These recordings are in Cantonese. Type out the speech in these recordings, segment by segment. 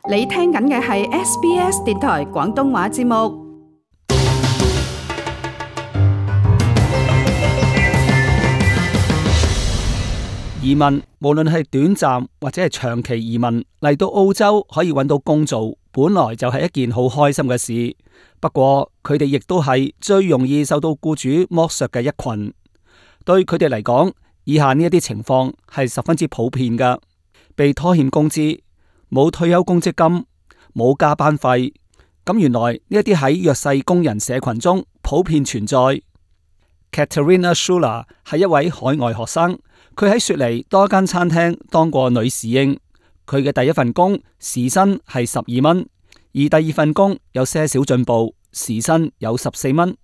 你聽緊嘅係 SBS 電台廣東話節目。移民無論係短暫或者係長期移民嚟到澳洲可以揾到工做，本來就係一件好開心嘅事。不過佢哋亦都係最容易受到僱主剝削嘅一群。對佢哋嚟講，以下呢一啲情況係十分之普遍㗎：被拖欠工資、冇退休公積金、冇加班費。咁原來呢一啲喺弱勢工人社群中普遍存在。Katerina Schuler 係一位海外學生。佢喺雪梨多間餐廳當過女侍應，佢嘅第一份工時薪係12蚊，而第二份工有些少進步，時薪有14蚊。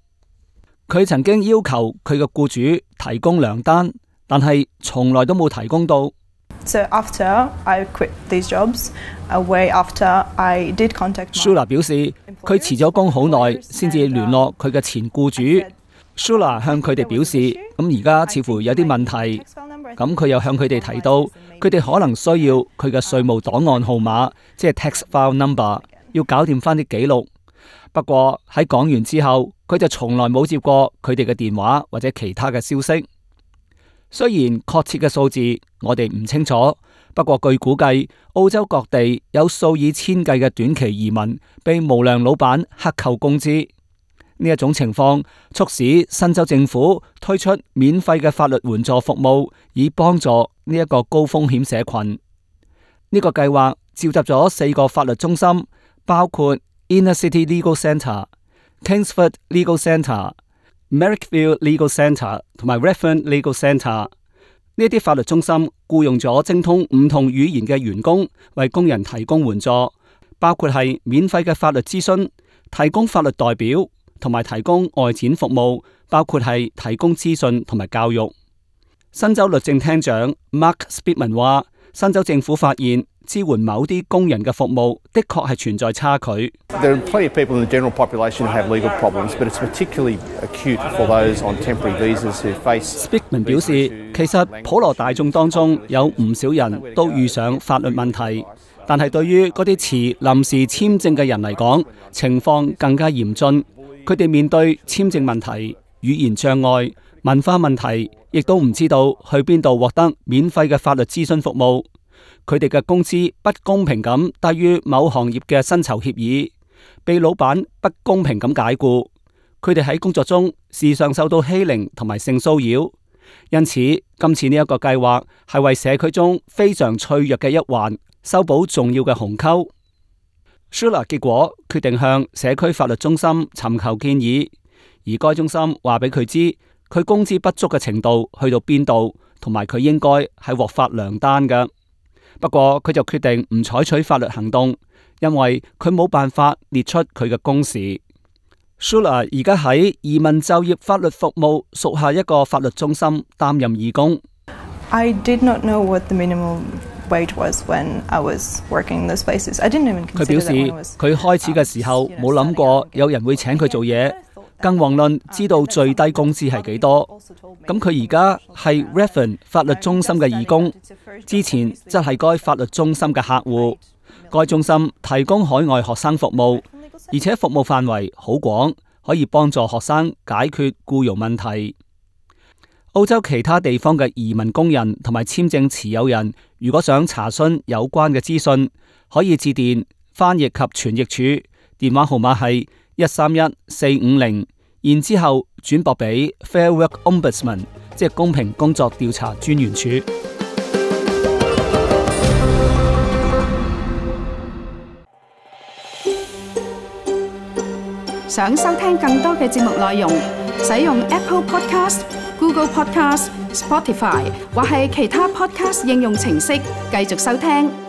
佢曾經要求佢嘅僱主提供糧單，但係從來都冇提供到。So after I quit these jobs, way after I did contact Schuler 表示，佢辭咗工好耐先至聯絡佢嘅前僱主。Schuler 向佢哋表示，咁而家似乎有啲問題。咁佢又向佢哋提到，佢哋可能需要佢嘅稅務檔案號碼，即係 tax file number， 要搞掂翻啲記錄。不過喺講完之後，佢就從來冇接過佢哋嘅電話或者其他嘅消息。雖然確切嘅數字我哋唔清楚，不過據估計，澳洲各地有數以千計嘅短期移民被無良老闆克扣工資。呢一種情況促使新州政府推出免費嘅法律援助服務，以幫助呢一個高風險社群。呢個計劃召集咗4個法律中心，包括 Inner City Legal Centre、Kingsford Legal Centre、Merrickville Legal Centre 同埋 Redfern Legal Centre。呢啲法律中心僱用咗精通唔同語言嘅員工，為工人提供援助，包括係免費嘅法律諮詢、提供法律代表，同埋提供外展服務，包括係提供資訊同埋教育。新州律政廳長 Mark Spitman 話，新州政府發現支援某啲工人嘅服務的確係存在差距。There are plenty of people in the general population who have legal problems, but it's particularly acute for those on temporary visas who face. Spitman 表示，其實普羅大眾當中有唔少人都遇上法律問題，但係對於嗰啲持臨時簽證嘅人嚟講，情況更加嚴峻。佢哋面對簽證問題、語言障礙、文化問題，亦都唔知道去邊度獲得免費嘅法律諮詢服務。佢哋嘅工資不公平咁低於某行業嘅薪酬協議，被老闆不公平咁解僱。佢哋喺工作中時常受到欺凌同埋性騷擾，因此今次呢一個計劃係為社區中非常脆弱嘅一環修補重要嘅鴻溝。Schuler 結果決定向社區法律中心尋求建議，而該中心話俾佢知佢工資不足嘅程度去到邊度，同埋佢應該係獲發糧單嘅。不過佢就決定唔採取法律行動，因為佢冇辦法列出佢嘅工時。Schuler 而家喺移民就業法律服務屬下一個法律中心擔任義工。I did not know what the minimum wage was when I was working in those places. I didn't even consider that when I was. 佢表示佢開始嘅時候冇諗過有人會請佢做嘢，更遑論知道最低工資係幾多。咁佢而家係 Redfern 法律中心嘅義工，之前則係該法律中心嘅客戶。該中心提供海外學生服務，而且服務範圍好廣，可以幫助學生解決僱傭問題。澳洲其他地方嘅移民工人同埋簽證持有人，如果想查詢有關嘅資訊，可以致電翻譯及傳譯處，電話號碼係131-450，然之後轉駁俾 Fair Work Ombudsman， 即係公平工作調查專員處。想收聽更多嘅節目內容，使用 Apple Podcast、Google Podcast、Spotify 或係其他 Podcast 應用程式繼續收聽。